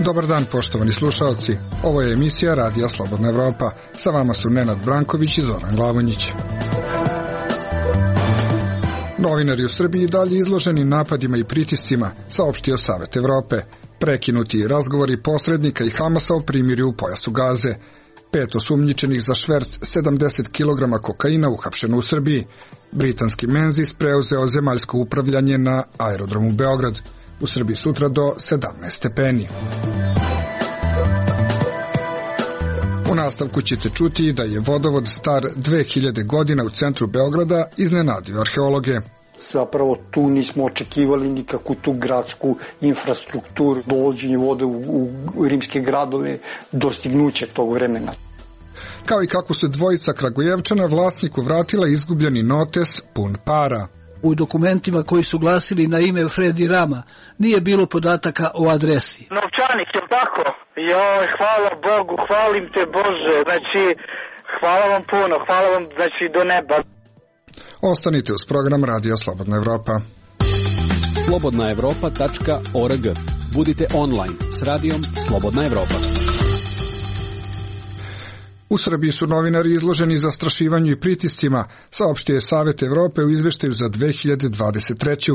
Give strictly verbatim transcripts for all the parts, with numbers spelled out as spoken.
Dobar dan, poštovani slušalci. Ovo je emisija Radija Slobodna Evropa. Sa vama su Nenad Branković i Zoran Glavonjić. Novinari u Srbiji dalje izloženi napadima i pritiscima, saopštio Savet Evrope. Prekinuti razgovori posrednika i Hamasa o primirju u pojasu Gaze. Pet osumnjičenih za šverc sedamdeset kilograma kokaina uhapšeno u Srbiji. Britanski Menzies preuzeo zemaljsko upravljanje na aerodromu Beograd. U Srbiji sutra do sedamnaest stepeni. U nastavku ćete čuti da je vodovod star dve hiljade godina u centru Beograda iznenadio arheologe. Zapravo tu nismo očekivali nikakvu tu gradsku infrastrukturu, dovođenje vode u, u rimske gradove, dostignuće tog vremena. Kao i kako se dvojica Kragujevčana vlasniku vratila izgubljeni notes pun para. U dokumentima koji su glasili na ime Fredi Rama nije bilo podataka o adresi. Novčanik, je li tako? Joj, hvala Bogu, hvalim te Bože, znači, hvala vam puno, hvala vam, znači, do neba. Ostanite uz program Radija Slobodna Evropa. slobodna evropa tačka org. Budite online s radijom Slobodna Evropa. U Srbiji su novinari izloženi zastrašivanju i pritiscima, saopštio je Savet Evrope u izveštaju za dve hiljade dvadeset treću.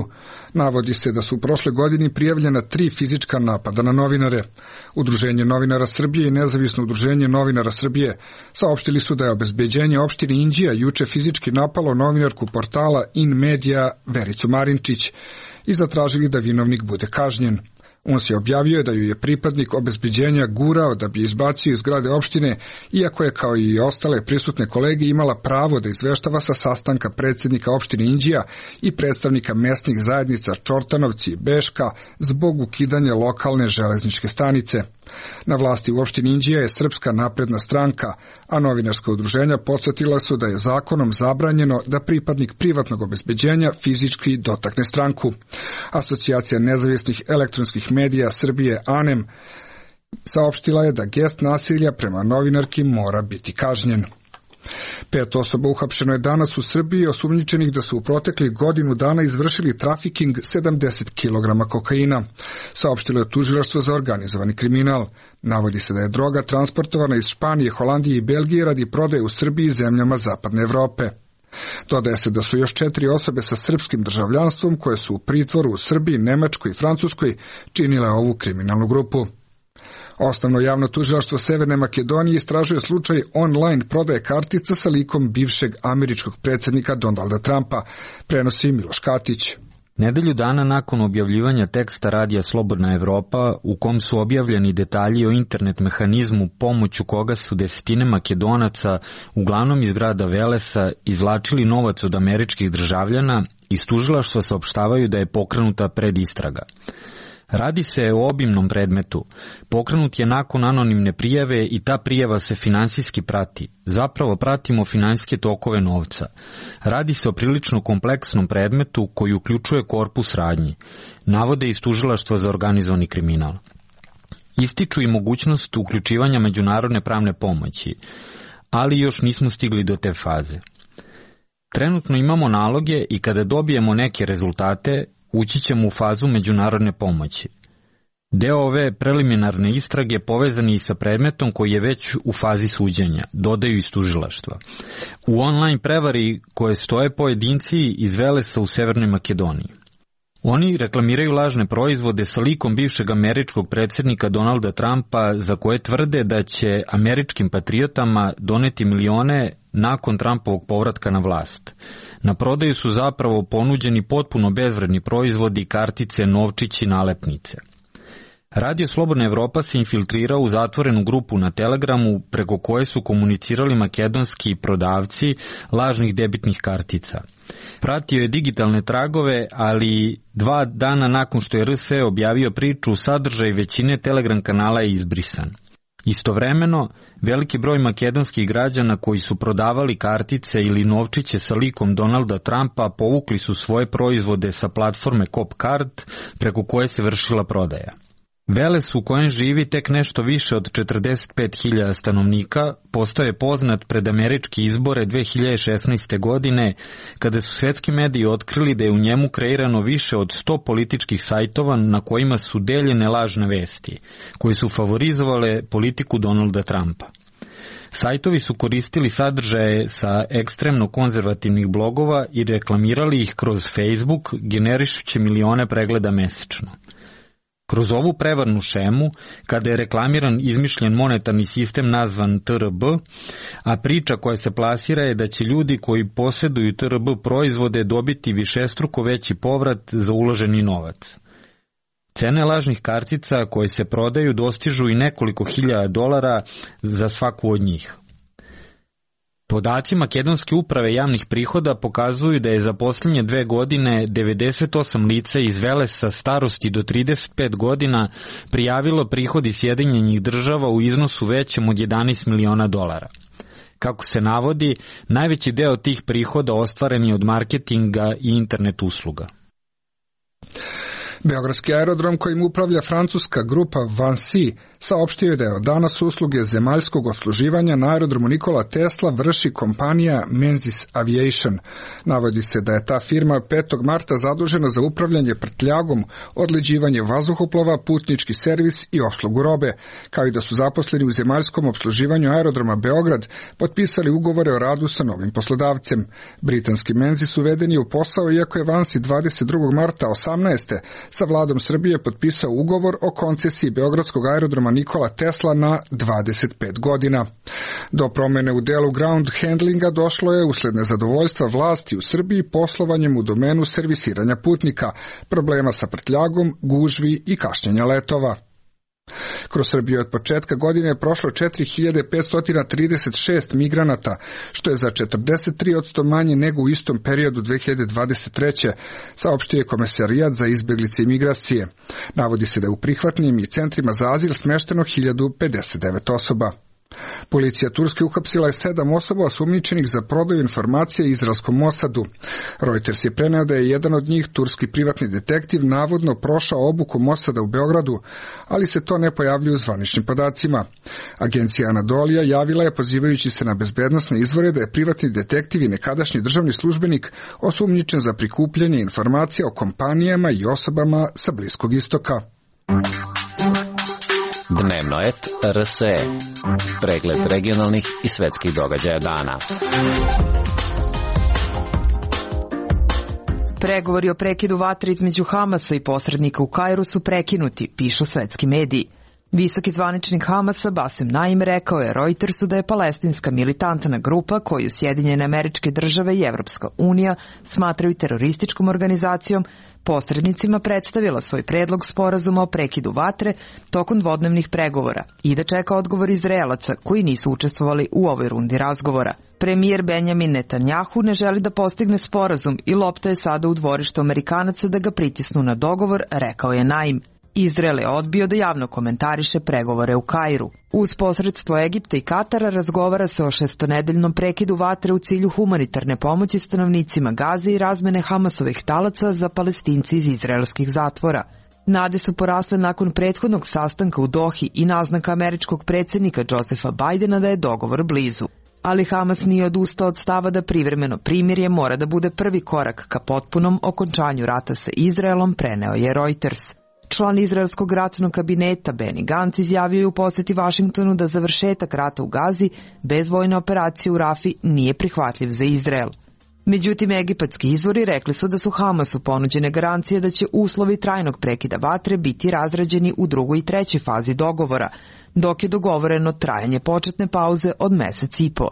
Navodi se da su u prošle godini prijavljena tri fizička napada na novinare. Udruženje novinara Srbije i Nezavisno udruženje novinara Srbije saopštili su da je obezbeđenje opštine Inđija juče fizički napalo novinarku portala In Media Vericu Marinčić i zatražili da vinovnik bude kažnjen. On se objavio da ju je pripadnik obezbeđenja gurao da bi izbacio iz zgrade opštine, iako je kao i ostale prisutne kolege imala pravo da izveštava sa sastanka predsjednika opštine Inđija i predstavnika mesnih zajednica Čortanovci i Beška zbog ukidanja lokalne železničke stanice. Na vlasti u opštini Inđija je Srpska napredna stranka, a novinarska udruženja podsjetila su da je zakonom zabranjeno da pripadnik privatnog obezbeđenja fizički dotakne stranku. Asocijacija nezavisnih elektronskih medija Srbije A N E M saopštila je da gest nasilja prema novinarki mora biti kažnjen. Pet osoba uhapšeno je danas u Srbiji osumnjičenih da su u proteklih godinu dana izvršili trafiking sedamdeset kilograma kokaina. Saopštilo je tužilaštvo za organizovani kriminal. Navodi se da je droga transportovana iz Španije, Holandije i Belgije radi prodaje u Srbiji i zemljama Zapadne Evrope. Dodaje se da su još četiri osobe sa srpskim državljanstvom koje su u pritvoru u Srbiji, Nemačkoj i Francuskoj činile ovu kriminalnu grupu. Osnovno javno tužilaštvo Severne Makedonije istražuje slučaj online prodaje kartica sa likom bivšeg američkog predsjednika Donalda Trumpa, prenosi Miloš Katić. Nedelju dana nakon objavljivanja teksta Radija Slobodna Evropa, u kom su objavljeni detalji o internet mehanizmu pomoću koga su desetine Makedonaca, uglavnom iz grada Velesa, izvlačili novac od američkih državljana, iz tužilaštva saopštavaju da je pokrenuta predistraga. Radi se o obimnom predmetu. Pokrenut je nakon anonimne prijave i ta prijava se finansijski prati. Zapravo pratimo finansijske tokove novca. Radi se o prilično kompleksnom predmetu koji uključuje korpus radnji. Navode iz tužilaštva za organizovani kriminal. Ističu i mogućnost uključivanja međunarodne pravne pomoći, ali još nismo stigli do te faze. Trenutno imamo naloge i kada dobijemo neke rezultate, ući ćemo u fazu međunarodne pomoći. Deo ove preliminarne istrage povezan je i sa predmetom koji je već u fazi suđenja, dodaju iz tužilaštva. U online prevari koje stoje pojedinci iz Velesa u Severnoj Makedoniji. Oni reklamiraju lažne proizvode sa likom bivšeg američkog predsjednika Donalda Trumpa za koje tvrde da će američkim patriotama doneti milione nakon Trumpovog povratka na vlast. Na prodaju su zapravo ponuđeni potpuno bezvredni proizvodi, kartice, novčići, nalepnice. Radio Slobodna Evropa se infiltrirao u zatvorenu grupu na Telegramu preko koje su komunicirali makedonski prodavci lažnih debitnih kartica. Pratio je digitalne tragove, ali dva dana nakon što je R S E objavio priču, sadržaj većine Telegram kanala je izbrisan. Istovremeno, veliki broj makedonskih građana koji su prodavali kartice ili novčiće sa likom Donalda Trumpa povukli su svoje proizvode sa platforme Copcard preko koje se vršila prodaja. Veles u kojem živi tek nešto više od četrdeset pet hiljada stanovnika postao je poznat pred američke izbore dve hiljade šesnaeste. godine, kada su svetski mediji otkrili da je u njemu kreirano više od sto političkih sajtova na kojima su deljene lažne vesti, koji su favorizovale politiku Donalda Trumpa. Sajtovi su koristili sadržaje sa ekstremno konzervativnih blogova i reklamirali ih kroz Facebook, generišući milione pregleda mesečno. Kroz ovu prevarnu šemu, kada je reklamiran izmišljen monetarni sistem nazvan T R B, a priča koja se plasira je da će ljudi koji posjeduju T R B proizvode dobiti višestruko veći povrat za uloženi novac. Cene lažnih kartica koje se prodaju dostižu i nekoliko hiljada dolara za svaku od njih. Podaci Makedonske uprave javnih prihoda pokazuju da je za posljednje dve godine devedeset osam lica iz Velesa starosti do trideset pet godina prijavilo prihod iz Sjedinjenih Država u iznosu većem od jedanaest miliona dolara. Kako se navodi, najveći deo tih prihoda ostvaren je od marketinga i internet usluga. Beogradski aerodrom kojim upravlja francuska grupa Vinci saopštio je da je od danas usluge zemaljskog opsluživanja na aerodromu Nikola Tesla vrši kompanija Menzies Aviation. Navodi se da je ta firma petog marta zadužena za upravljanje prtljagom, odleđivanje vazduhoplova, putnički servis i opslugu robe, kao i da su zaposleni u zemaljskom opsluživanju aerodroma Beograd potpisali ugovore o radu sa novim poslodavcem. Britanski Menzies uveden je u posao iako je Vinci dvadeset drugog marta osamnaeste. sa vladom Srbije potpisao ugovor o koncesiji Beogradskog aerodroma Nikola Tesla na dvadeset pet godina. Do promene u delu ground handlinga došlo je usled nezadovoljstva vlasti u Srbiji poslovanjem u domenu servisiranja putnika, problema sa prtljagom, gužvi i kašnjenja letova. Kroz Srbiju od početka godine je prošlo četiri hiljade petsto trideset šest migranata, što je za četrdeset tri posto manje nego u istom periodu dve hiljade dvadeset treće. saopštio je Komesarijat za izbeglice i migracije. Navodi se da je u prihvatnim i centrima za azil smešteno hiljadu pedeset devet osoba. Policija Turske uhapsila je sedam osoba osumnjičenih za prodaju informacija izraelskom Mosadu. Reuters je preneo da je jedan od njih, turski privatni detektiv, navodno prošao obuku Mosada u Beogradu, ali se to ne pojavljuje u zvaničnim podacima. Agencija Anadolija javila je, pozivajući se na bezbednosne izvore, da je privatni detektiv i nekadašnji državni službenik osumnjičen za prikupljanje informacija o kompanijama i osobama sa Bliskog istoka. Dnevnoet R S E. Pregled regionalnih i svetskih događaja dana. Pregovori o prekidu vatre između Hamasa i posrednika u Kairu su prekinuti, pišu svetski mediji. Visoki zvaničnik Hamasa Bassem Naim rekao je Reutersu da je palestinska militantna grupa koju Sjedinjene Američke Države i Evropska unija smatraju terorističkom organizacijom posrednicima predstavila svoj predlog sporazuma o prekidu vatre tokom dvodnevnih pregovora i da čeka odgovor Izraelaca koji nisu učestvovali u ovoj rundi razgovora. Premijer Benjamin Netanjahu ne želi da postigne sporazum i lopta je sada u dvorištu Amerikanaca da ga pritisnu na dogovor, rekao je Naim. Izrael je odbio da javno komentariše pregovore u Kairu. Uz posredstvo Egipta i Katara razgovara se o šestonedeljnom prekidu vatre u cilju humanitarne pomoći stanovnicima Gaze i razmene Hamasovih talaca za Palestinci iz izraelskih zatvora. Nade su porasle nakon prethodnog sastanka u Dohi i naznaka američkog predsjednika Josepha Bidena da je dogovor blizu. Ali Hamas nije odustao od stava da privremeno primirje mora da bude prvi korak ka potpunom okončanju rata sa Izraelom, preneo je Reuters. Član izraelskog ratnog kabineta Benny Gantz izjavio je u posjeti Vašingtonu da završetak rata u Gazi bez vojne operacije u Rafi nije prihvatljiv za Izrael. Međutim, egipatski izvori rekli su da su Hamasu ponuđene garancije da će uslovi trajnog prekida vatre biti razrađeni u drugoj i trećoj fazi dogovora, dok je dogovoreno trajanje početne pauze od mesec i po.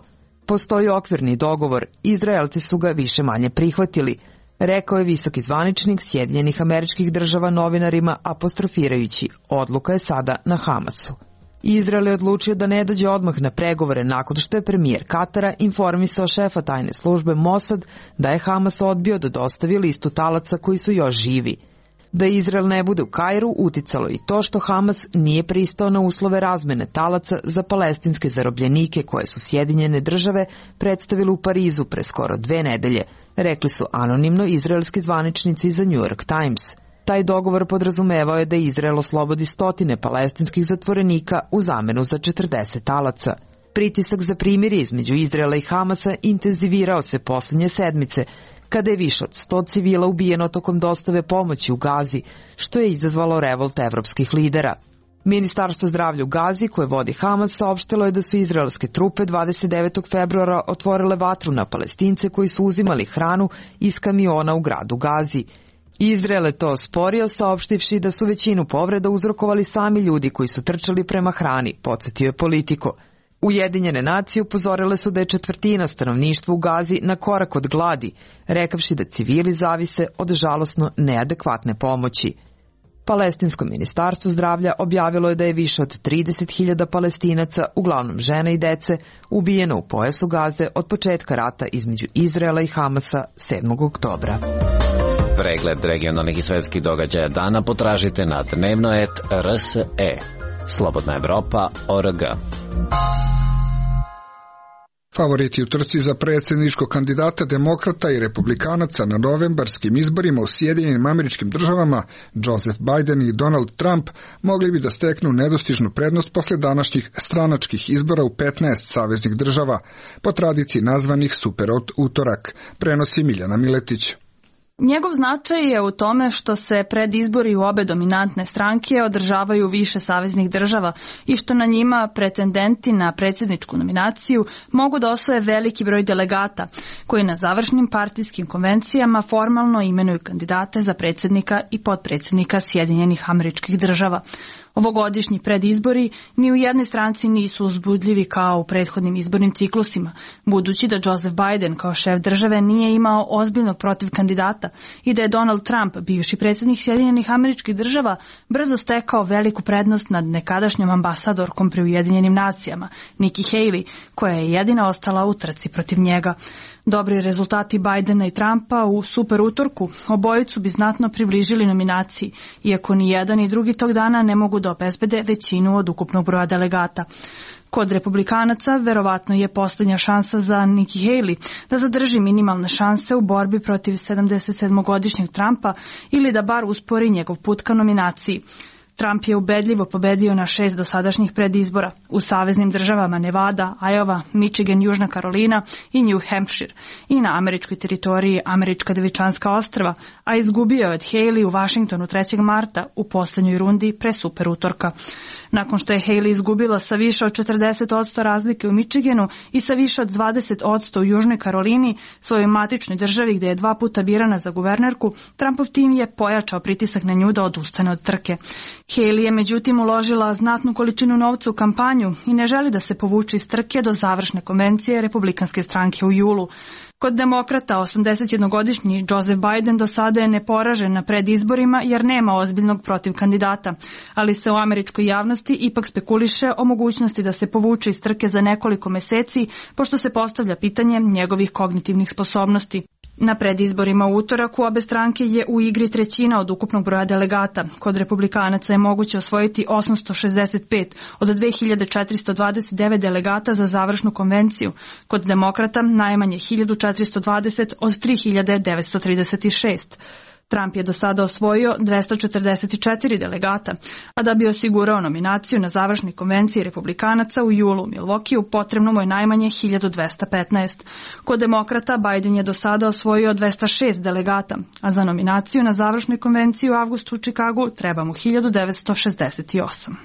Postoji okvirni dogovor, Izraelci su ga više manje prihvatili, rekao je visoki zvaničnik Sjedinjenih Američkih Država novinarima apostrofirajući, odluka je sada na Hamasu. Izrael je odlučio da ne dođe odmah na pregovore nakon što je premijer Katara informisao šefa tajne službe Mossad da je Hamas odbio da dostavi listu talaca koji su još živi. Da Izrael ne bude u Kairu uticalo i to što Hamas nije pristao na uslove razmene talaca za palestinske zarobljenike koje su Sjedinjene Države predstavili u Parizu pre skoro dve nedelje, rekli su anonimno izraelski zvaničnici za New York Times. Taj dogovor podrazumevao je da Izrael oslobodi stotine palestinskih zatvorenika u zamenu za četrdeset talaca. Pritisak za primirje između Izraela i Hamasa intenzivirao se poslednje sedmice, kada je više od sto civila ubijeno tokom dostave pomoći u Gazi, što je izazvalo revolt evropskih lidera. Ministarstvo zdravlja u Gazi, koje vodi Hamas, saopštilo je da su izraelske trupe dvadeset devetog februara otvorile vatru na Palestince koji su uzimali hranu iz kamiona u gradu Gazi. Izrael je to osporio, saopštivši da su većinu povreda uzrokovali sami ljudi koji su trčali prema hrani, podsjetio je Politico. Ujedinjene nacije upozorile su da je četvrtina stanovništva u Gazi na korak od gladi, rekavši da civili zavise od žalosno neadekvatne pomoći. Palestinsko ministarstvo zdravlja objavilo je da je više od trideset hiljada Palestinaca, uglavnom žena i dece, ubijeno u pojasu Gaze od početka rata između Izraela i Hamasa sedmog oktobra. Pregled regionalnih i svetskih događaja dana potražite na dnevnoet R S E. Slobodna Evropa точка O R G. Favoriti u trci za predsjedničkog kandidata demokrata i republikanaca na novembarskim izborima u Sjedinjenim Američkim Državama, Joseph Biden i Donald Trump, mogli bi da steknu nedostižnu prednost posle današnjih stranačkih izbora u petnaest saveznih država, po tradiciji nazvanih super utorak, prenosi Miljana Miletić. Njegov značaj je u tome što se pred izbori u obe dominantne stranke održavaju više saveznih država i što na njima pretendenti na predsjedničku nominaciju mogu da osvoje veliki broj delegata, koji na završnim partijskim konvencijama formalno imenuju kandidate za predsjednika i potpredsjednika Sjedinjenih Američkih Država. Ovogodišnji predizbori ni u jednoj stranci nisu uzbudljivi kao u prethodnim izbornim ciklusima, budući da Joseph Biden kao šef države nije imao ozbiljnog protiv kandidata i da je Donald Trump, bivši predsjednik Sjedinjenih Američkih Država, brzo stekao veliku prednost nad nekadašnjom ambasadorkom pri Ujedinjenim nacijama, Nikki Haley, koja je jedina ostala u trci protiv njega. Dobri rezultati Bidena i Trumpa u super utorku obojicu bi znatno približili nominaciji, iako ni jedan ni drugi tog dana ne mogu da obezbede većinu od ukupnog broja delegata. Kod republikanaca verovatno je poslednja šansa za Nikki Haley da zadrži minimalne šanse u borbi protiv sedamdesetsedmogodišnjeg Trumpa ili da bar uspori njegov put ka nominaciji. Trump je ubedljivo pobedio na šest dosadašnjih predizbora u saveznim državama Nevada, Iowa, Michigan, Južna Karolina i New Hampshire i na američkoj teritoriji Američka Devičanska ostrva, a izgubio je od Haley u Vašingtonu trećeg marta u poslednjoj rundi pre super utorka. Nakon što je Haley izgubila sa više od četrdeset posto razlike u Michiganu i sa više od dvadeset posto u Južnoj Karolini, svojoj matičnoj državi gde je dva puta birana za guvernerku, Trumpov tim je pojačao pritisak na nju da odustane od trke. Haley je međutim uložila znatnu količinu novca u kampanju i ne želi da se povuče iz trke do završne konvencije Republikanske stranke u julu. Kod demokrata, osamdesetjednogodišnji Joseph Biden do sada je neporažen na predizborima jer nema ozbiljnog protiv kandidata, ali se u američkoj javnosti ipak spekuliše o mogućnosti da se povuče iz trke za nekoliko meseci, pošto se postavlja pitanje njegovih kognitivnih sposobnosti. Na predizborima u utorak u obe stranke je u igri trećina od ukupnog broja delegata. Kod republikanaca je moguće osvojiti osamsto šezdeset pet od dve hiljade četiristo dvadeset devet delegata za završnu konvenciju. Kod demokrata najmanje hiljadu četiristo dvadeset od tri hiljade devetsto trideset šest. Trump je do sada osvojio dvesta četrdeset četiri delegata, a da bi osigurao nominaciju na završnoj konvenciji republikanaca u julu u Milwaukeeu potrebno mu je najmanje hiljadu dvesta petnaest. Kod demokrata Biden je do sada osvojio dvesta šest delegata, a za nominaciju na završnoj konvenciji u avgustu u Čikagu treba mu hiljadu devetsto šezdeset osam.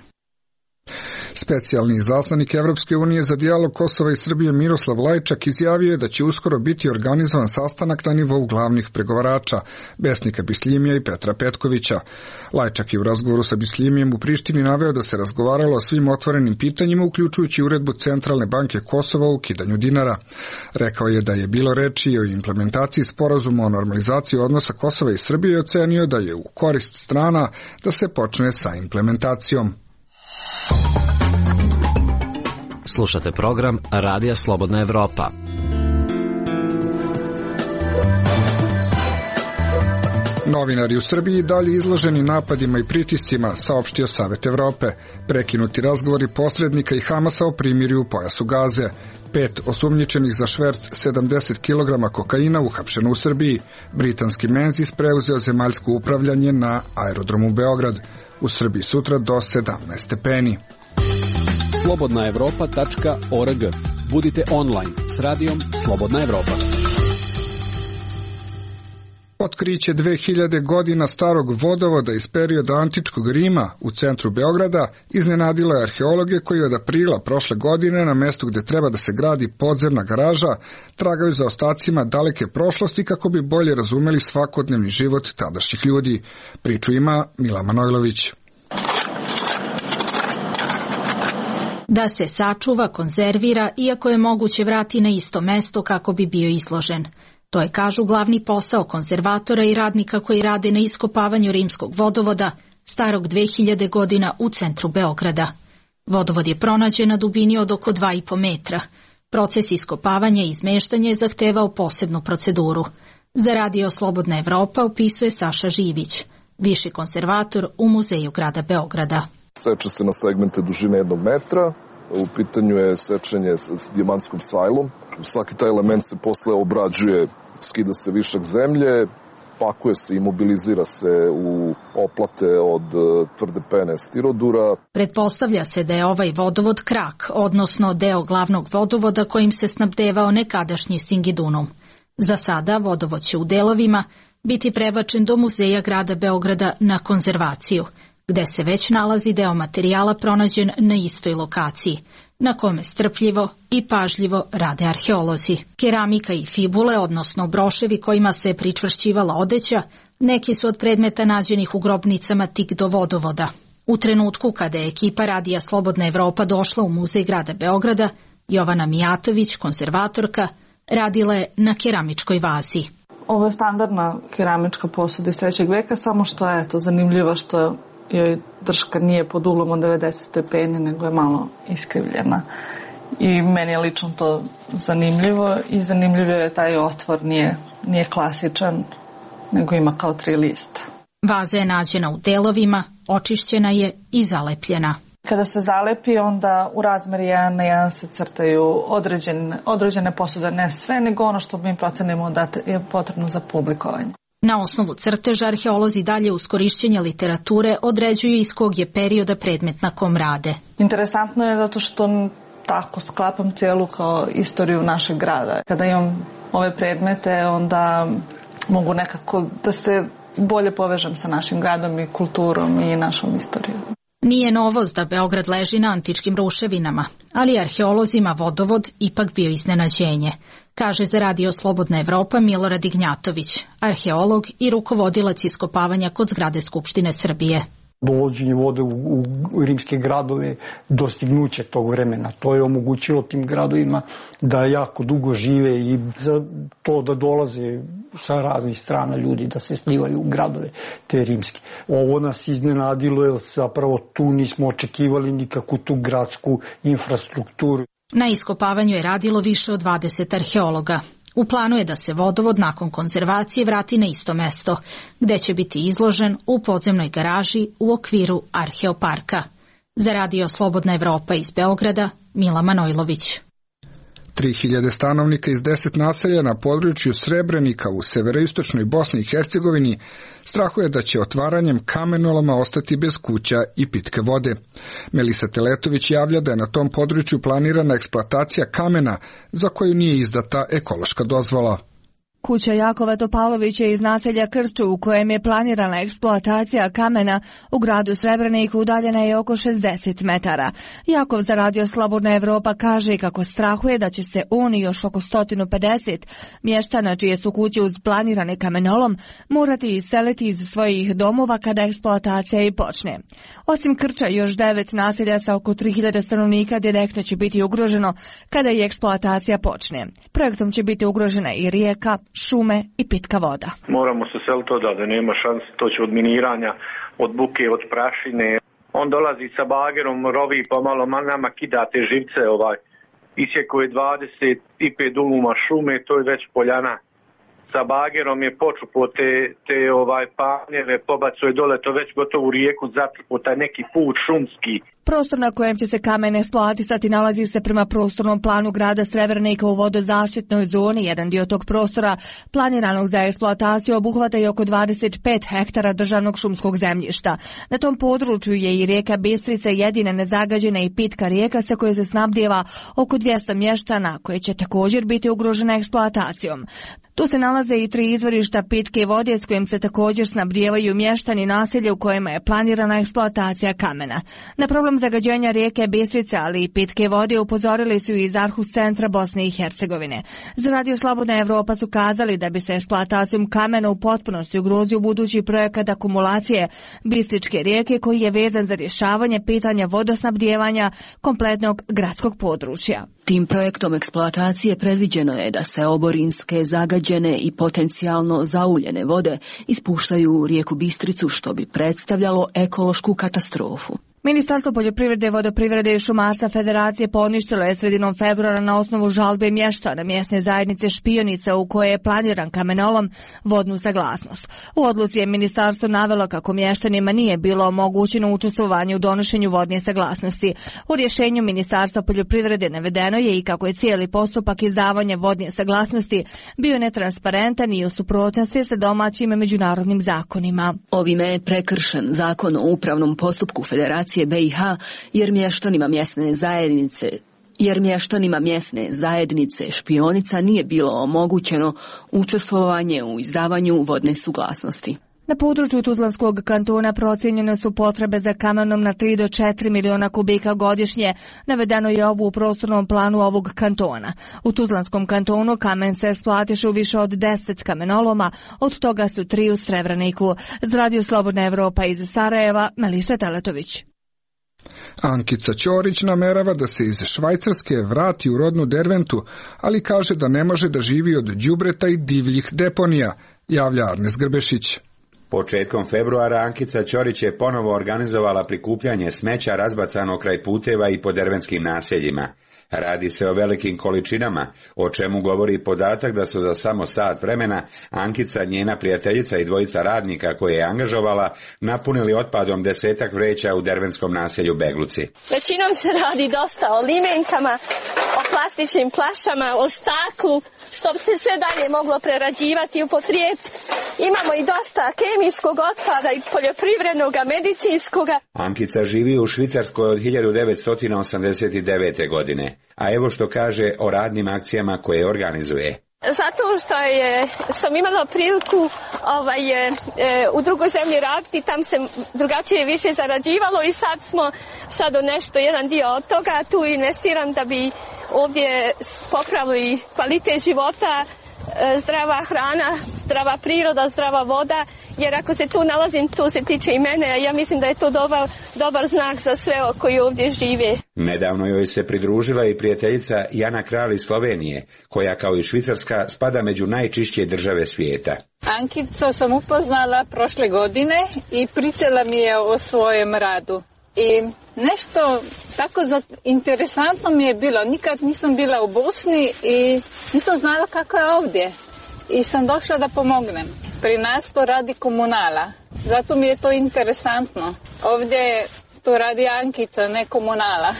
Specijalni izaslanik Evropske unije za dijalog Kosova i Srbije Miroslav Lajčak izjavio je da će uskoro biti organizovan sastanak na nivou glavnih pregovarača Besnika Bisljimija i Petra Petkovića. Lajčak je u razgovoru sa Bisljimijem u Prištini naveo da se razgovaralo o svim otvorenim pitanjima, uključujući uredbu Centralne banke Kosova o ukidanju dinara. Rekao je da je bilo reči o implementaciji sporazuma o normalizaciji odnosa Kosova i Srbije i ocenio da je u korist strana da se počne sa implementacijom. Slušate program Radija Slobodna Evropa. Novinari u Srbiji dalje izloženi napadima i pritiscima, saopštio Savet Evrope. Prekinuti razgovori posrednika i Hamasa o primirju u pojasu Gaze. Pet osumnjičenih za šverc sedamdeset kilograma kokaina uhapšeno u Srbiji. Britanski Menzies preuzeo zemaljsko upravljanje na aerodromu Beograd. U Srbiji sutra do sedamnaest stepeni. slobodna evropa tačka org. Budite online s radijom Slobodna Evropa. Otkriće dve hiljade godina starog vodovoda iz perioda antičkog Rima u centru Beograda iznenadilo je arheologe koji od aprila prošle godine na mestu gde treba da se gradi podzemna garaža tragaju za ostacima daleke prošlosti kako bi bolje razumeli svakodnevni život tadašnjih ljudi. Priču ima Mila Manojlović. Da se sačuva, konzervira, iako je moguće vrati na isto mesto kako bi bio izložen. To je, kažu, glavni posao konzervatora i radnika koji rade na iskopavanju rimskog vodovoda, starog dve hiljade godina u centru Beograda. Vodovod je pronađen na dubini od oko dva i po metra. Proces iskopavanja i izmeštanja je zahtevao posebnu proceduru. Za radio Slobodna Evropa opisuje Saša Živić, viši konzervator u Muzeju grada Beograda. Seče se na segmente dužine jednog metra, u pitanju je sečenje s dijamantskom sajlom. Svaki taj element se posle obrađuje, skida se višak zemlje, pakuje se, imobilizira se u oplate od tvrde pene stirodura. Pretpostavlja se da je ovaj vodovod krak, odnosno deo glavnog vodovoda kojim se snabdevao nekadašnji Singidunum. Za sada vodovod će u delovima biti prebačen do Muzeja grada Beograda na konzervaciju, gde se već nalazi deo materijala pronađen na istoj lokaciji, na kome strpljivo i pažljivo rade arheolozi. Keramika i fibule, odnosno broševi kojima se pričvršćivala odeća, neki su od predmeta nađenih u grobnicama tik do vodovoda. U trenutku kada je ekipa radija Slobodna Evropa došla u Muzej grada Beograda, Jovana Mijatović, konzervatorka, radila je na keramičkoj vazi. Ovo je standardna keramička posuda iz trećeg veka, samo što je to zanimljivo što joj drška nije pod uglom od devedeset stepeni, nego je malo iskrivljena. I meni je lično to zanimljivo i zanimljivo je taj otvor, nije, nije klasičan, nego ima kao tri lista. Vaza je nađena u delovima, očišćena je i zalepljena. Kada se zalepi, onda u razmeri jedan na jedan se crtaju određene, određene posude, ne sve, nego ono što mi procenimo da je potrebno za publikovanje. Na osnovu crteža arheolozi dalje uz korišćenje literature određuju iz kog je perioda predmet na kom rade. Interesantno je zato što tako sklapam cijelu kao istoriju našeg grada. Kada imam ove predmete, onda mogu nekako da se bolje povežem sa našim gradom i kulturom i našom istorijom. Nije novost da Beograd leži na antičkim ruševinama, ali arheolozima vodovod ipak bio iznenađenje, kaže za radio Slobodna Evropa Milorad Ignjatović, arheolog i rukovodilac iskopavanja kod zgrade Skupštine Srbije. Dovođenje vode u, u rimske gradove, dostignuće tog vremena. To je omogućilo tim gradovima da jako dugo žive i za to da dolaze sa raznih strana ljudi da se slivaju u gradove te rimske. Ovo nas iznenadilo jer zapravo tu nismo očekivali nikakvu tu gradsku infrastrukturu. Na iskopavanju je radilo više od dvadeset arheologa. U planu je da se vodovod nakon konzervacije vrati na isto mesto, gde će biti izložen u podzemnoj garaži u okviru Arheoparka. Za radio Slobodna Evropa iz Beograda, Mila Manojlović. tri hiljade stanovnika iz deset naselja na području Srebrenika u severoistočnoj Bosni i Hercegovini strahuje da će otvaranjem kamenoloma ostati bez kuća i pitke vode. Melisa Teletović javlja da je na tom području planirana eksploatacija kamena za koju nije izdata ekološka dozvola. Kuća Jakova Topalovića iz naselja Krču u kojem je planirana eksploatacija kamena u gradu Srebreniku udaljena je oko šezdeset metara. Jakov za radio Slobodna Evropa kaže kako strahuje da će se on i još oko sto pedeset mještana čije su kuće uz planirani kamenolom morati iseliti iz svojih domova kada eksploatacija i počne. Osim Krča, još devet naselja sa oko tri hiljade stanovnika direktno će biti ugroženo kada i eksploatacija počne. Projektom će biti ugrožena i rijeka, šume i pitka voda. Moramo se seliti odavde, nema šanse, to će od miniranja, od buke, od prašine. On dolazi sa bagerom, rovi pa malo nama kida te živce, ovaj. Isjeko je dvadeset pet duluma šume, to je već poljana sa bagerom je počupo te, te ovaj panjeve, pobacuje dole to već gotovo u rijeku, zatrpo taj neki put šumski. Prostor na kojem će se kamen eksploatisati nalazi se prema prostornom planu grada Srebrenika u vodozaštitnoj zoni. Jedan dio tog prostora planiranog za eksploataciju obuhvata i oko dvadeset pet hektara državnog šumskog zemljišta. Na tom području je i rijeka Bistrica jedina nezagađena i pitka rijeka sa koje se snabdijeva oko dvjesto mještana, koje će također biti ugrožene eksploatacijom. Tu se nalaze i tri izvorišta pitke vode s kojim se također snabdijevaju mještani naselja u kojima je planirana eksploatacija kamena. Na problem zagađenja rijeke Bistrice, ali i pitke vode upozorili su iz Arhus centra Bosne i Hercegovine. Za Radio Slobodna Evropa su kazali da bi se eksploatacijom kamena u potpunosti ugrozio budući projekat akumulacije Bistričke rijeke koji je vezan za rješavanje pitanja vodosnabdijevanja kompletnog gradskog područja. Tim projektom eksploatacije predviđeno je da se oborinske, zagađene i potencijalno zauljene vode ispuštaju u rijeku Bistricu, što bi predstavljalo ekološku katastrofu. Ministarstvo poljoprivrede, vodoprivrede i šumarstva Federacije poništilo je sredinom februara na osnovu žalbe mještana mjesne zajednice Špionica u kojoj je planiran kamenolom vodnu saglasnost. U odluci je ministarstvo navelo kako mještanima nije bilo omogućeno učestvovanje u donošenju vodne saglasnosti. U rješenju Ministarstva poljoprivrede navedeno je i kako je cijeli postupak izdavanja vodne saglasnosti bio netransparentan i u suprotnosti sa domaćim i međunarodnim zakonima. Ovime je prekršen zakon o upravnom postupku Federacije B i H jer mještanima mjesne zajednice jer mještanima mjesne zajednice Špionica nije bilo omogućeno učestvovanje u izdavanju vodne suglasnosti. Na području Tuzlanskog kantona procijenjene su potrebe za kamenom na tri do četiri miliona kubika godišnje. Navedeno je ovo u prostornom planu ovog kantona. U Tuzlanskom kantonu kamen se eksploatiše u više od deset kamenoloma, od toga su tri u Srebreniku. Za Radio Slobodna Evropa iz Sarajeva, Melisa Teletović. Ankica Ćorić namerava da se iz Švajcarske vrati u rodnu Derventu, ali kaže da ne može da živi od đubreta i divljih deponija, javlja Arnes Grbešić. Početkom februara Ankica Ćorić je ponovo organizovala prikupljanje smeća razbacano kraj puteva i po dervenskim naseljima. Radi se o velikim količinama, o čemu govori podatak da su za samo sat vremena Ankica, njena prijateljica i dvojica radnika koje je angažovala napunili otpadom desetak vreća u dervenskom naselju Begluci. Većinom se radi dosta o limenkama, o plastičnim flašama, o staklu, što bi se sve dalje moglo prerađivati i upotrijebiti. Imamo i dosta kemijskog otpada i poljoprivrednog, medicinskog. Ankica živi u Švicarskoj od hiljadu devetsto osamdeset devete godine. A evo što kaže o radnim akcijama koje organizuje. Zato što je, sam imala priliku ovaj, e, u drugoj zemlji raditi, tam se drugačije više zarađivalo i sad smo sad nešto, jedan dio od toga tu investiram da bi ovdje popravili kvalitet života, zdrava hrana, zdrava priroda, zdrava voda, jer ako se tu nalazim, to se tiče i mene, a ja mislim da je to dobar, dobar znak za sve koji ovdje žive. Nedavno joj se pridružila i prijateljica Jana Kralj iz Slovenije, koja kao i Švicarska spada među najčišće države svijeta. Ankicu sam upoznala prošle godine i pričala mi je o svojem radu. I nešto tako interesantno mi je bilo. Nikad nisam bila u Bosni i nisam znala kako je ovdje. I sam došla da pomognem. Pri nas to radi komunala. Zato mi je to interesantno. Ovdje to radi Ankica, ne komunala.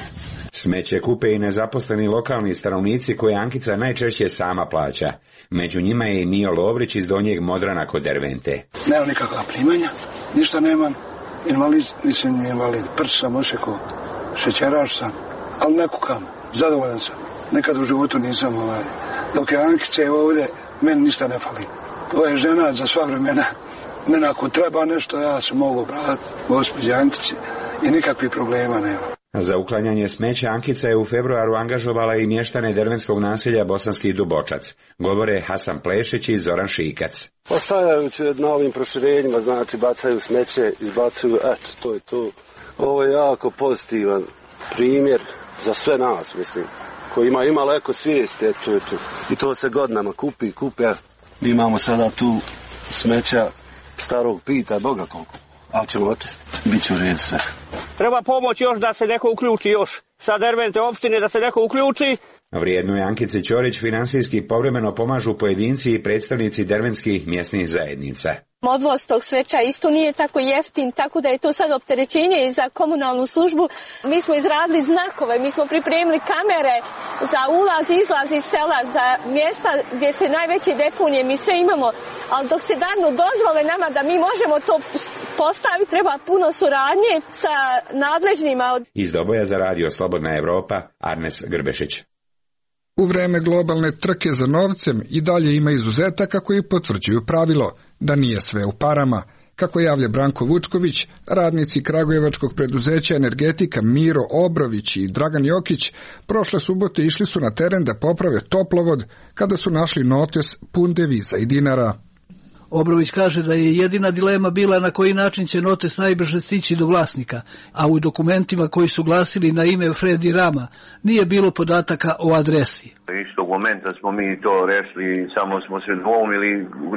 Smeće kupe i nezaposleni lokalni stanovnici koje Ankica najčešće sama plaća. Među njima je i Mio Lovrić iz Donjeg Modrana kod Dervente. Nemam nikakva primanja, ništa nemam. Invalid, nisam invalid, prst sam osekao, šećeraš sam, ali ne kukam, zadovoljan sam. Nekad u životu nisam ovaj. Dok je Ankice ovdje, meni ništa ne fali. To je žena za sva vremena. Mene ako treba nešto, ja se mogu obratiti gospođi Ankici i nikakvih problema nema. Za uklanjanje smeća Ankica je u februaru angažovala i mještane dervenskog naselja Bosanski Dubočac. Govore Hasan Plešić i Zoran Šikac. Ostavljajući na ovim proširenjima, znači bacaju smeće, izbacuju, eto, to je to. Ovo je jako pozitivan primjer za sve nas, mislim, koji ima imalo eko svijest, eto, eto. I to se godinama kupi, kupe. Mi imamo sada tu smeća starog pita, Boga koliko. Ali ćemo očistiti, bit će u redu sve. Treba pomoć još da se neko uključi još sa Dervente opštine da se neko uključi. Vrijedno je Ankice Ćorić finansijski povremeno pomažu pojedinci i predstavnici dervenskih mjesnih zajednica. Odvoz tog smeća isto nije tako jeftin, tako da je to sad opterećenje i za komunalnu službu. Mi smo izradili znakove, mi smo pripremili kamere za ulaz i izlaz iz sela, za mjesta gdje se najveće deponije, mi sve imamo, ali dok se danu dozvole nama da mi možemo to postaviti, treba puno suradnje sa nadležnima. Iz Doboja za radio Slobodna Evropa, Arnes Grbešić. U vreme globalne trke za novcem i dalje ima izuzetaka koji potvrđuju pravilo da nije sve u parama. Kako javlja Branko Vučković, radnici kragujevačkog preduzeća Energetika Miro Obrović i Dragan Jokić prošle subote išli su na teren da poprave toplovod kada su našli notes pun deviza i dinara. Obrović kaže da je jedina dilema bila na koji način će notes najbrže stići do vlasnika, a u dokumentima koji su glasili na ime Fredi Rama nije bilo podataka o adresi. Istog momenta smo mi to rešili, samo smo se dvoumili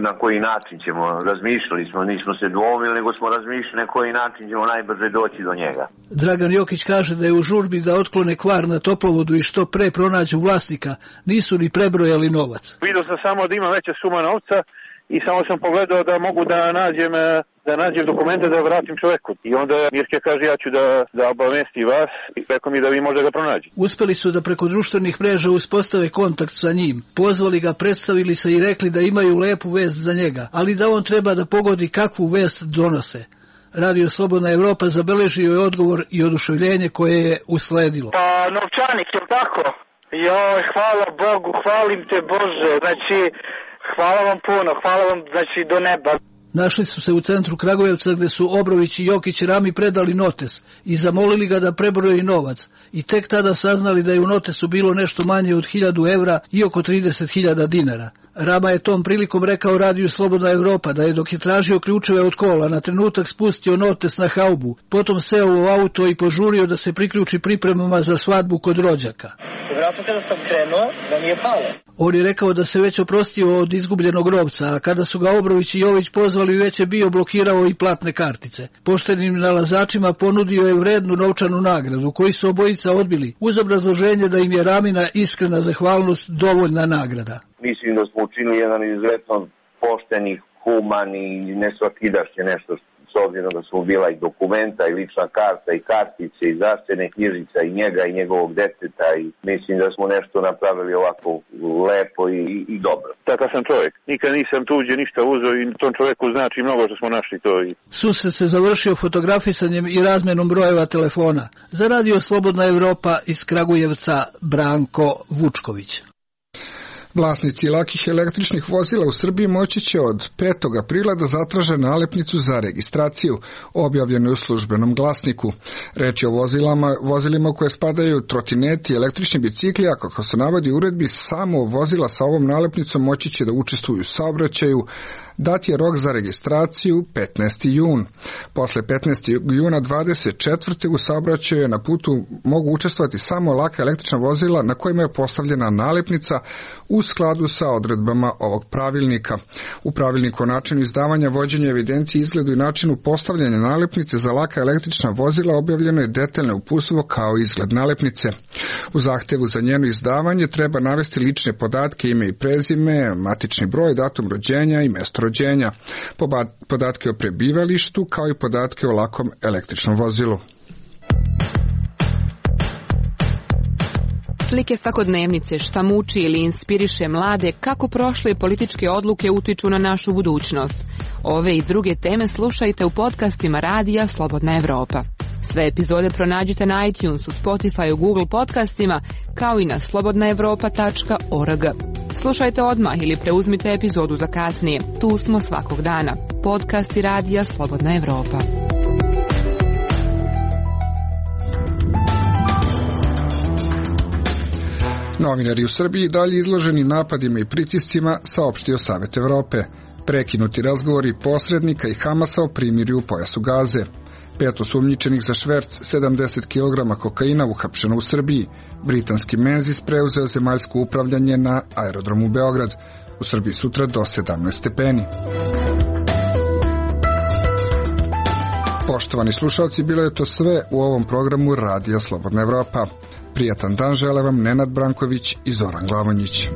na koji način ćemo, razmišljali smo, nismo se dvoumili, nego smo razmišljali na koji način ćemo najbrže doći do njega. Dragan Jokić kaže da je u žurbi da otklone kvar na toplovodu i što pre pronađu vlasnika, nisu ni prebrojali novac. Vidio sam samo da ima veća suma novca, i samo sam pogledao da mogu da nađem, da nađem dokumente da vratim čoveku. I onda Mirke kaže ja ću da, da obavesti vas i rekao mi da vi možda ga pronađi. Uspeli su da preko društvenih mreža uspostave kontakt sa njim. Pozvali ga, predstavili se i rekli da imaju lepu vest za njega, ali da on treba da pogodi kakvu vest donose. Radio Slobodna Evropa zabeležio je odgovor i oduševljenje koje je usledilo. Pa novčanik, je li tako? Joj, hvala Bogu, hvalim te Bože, znači... Hvala vam puno, hvala vam, znači do neba. Našli su se u centru Kragujevca gde su Obrović i Jokić Rami predali notes i zamolili ga da prebroji novac i tek tada saznali da je u notesu bilo nešto manje od hiljadu evra i oko trideset hiljada dinara. Rama je tom prilikom rekao radiju Slobodna Evropa da je dok je tražio ključeve od kola na trenutak spustio notes na haubu, potom seo u auto i požurio da se priključi pripremama za svadbu kod rođaka. Vratno kada sam krenuo, da mi je palo. On je rekao da se već oprostio od izgubljenog novca, a kada su ga Obrović i Jović pozvali već je bio blokirao i platne kartice. Poštenim nalazačima ponudio je vrednu novčanu nagradu, koju su obojica odbili, uz obrazloženje da im je Ramina iskrena zahvalnost dovoljna nagrada. Mislim da smo učinili jedan izuzetno pošteni, human i nesvakidašnje nešto s obzirom da su bila i dokumenta i lična karta i kartice i zdravstvene knjižica i njega i njegovog deteta i mislim da smo nešto napravili ovako lepo i, i dobro. Takav sam čovjek. Nikad nisam tuđe ništa uzeo i tom čovjeku znači mnogo što smo našli to. I... Susret se završio fotografisanjem i razmenom brojeva telefona. Za radio Slobodna Evropa iz Kragujevca Branko Vučković. Vlasnici lakih električnih vozila u Srbiji moći će od petog aprila da zatraže nalepnicu za registraciju, objavljenu u službenom glasniku. Reč je o vozilama, vozilima koje spadaju trotineti i električni bicikli, a kako se navodi u uredbi, samo vozila sa ovom nalepnicom moći će da učestvuju u saobraćaju. Dat je rok za registraciju petnaesti jun. Posle petnaestog juna dvadeset četvrte u saobraćaju na putu mogu učestvovati samo laka električna vozila na kojima je postavljena nalepnica u skladu sa odredbama ovog pravilnika. U pravilniku o načinu izdavanja, vođenja evidencije, izgledu i načinu postavljanja nalepnice za laka električna vozila objavljeno je detaljno uputstvo kao izgled nalepnice. U zahtevu za njeno izdavanje treba navesti lične podatke, ime i prezime, matični broj, datum rođenja i mesto rođenja, podatke o prebivalištu kao i podatke o lakom električnom vozilu. Slike svakodnevnice, šta muči ili inspiriše mlade, kako prošle političke odluke utiču na našu budućnost. Ove i druge teme slušajte u podcastima radija Slobodna Evropa. Sve epizode pronađite na iTunesu, Spotifyu, Google podcastima, kao i na slobodna evropa tačka org. Slušajte odmah ili preuzmite epizodu za kasnije. Tu smo svakog dana. Podcasti radija Slobodna Evropa. Novinari u Srbiji dalje izloženi napadima i pritiscima, saopštio Savet Evrope. Prekinuti razgovori posrednika i Hamasa o primirju u pojasu Gaze. Pet osumnjičenih za šverc sedamdeset kilograma kokaina uhapšeno u Srbiji. Britanski Menzies preuzeo zemaljsko upravljanje na aerodromu Beograd. U Srbiji sutra do sedamnaest stepeni. Poštovani slušalci, bilo je to sve u ovom programu Radija Slobodna Evropa. Prijatan dan žele vam Nenad Branković i Zoran Glavonjić.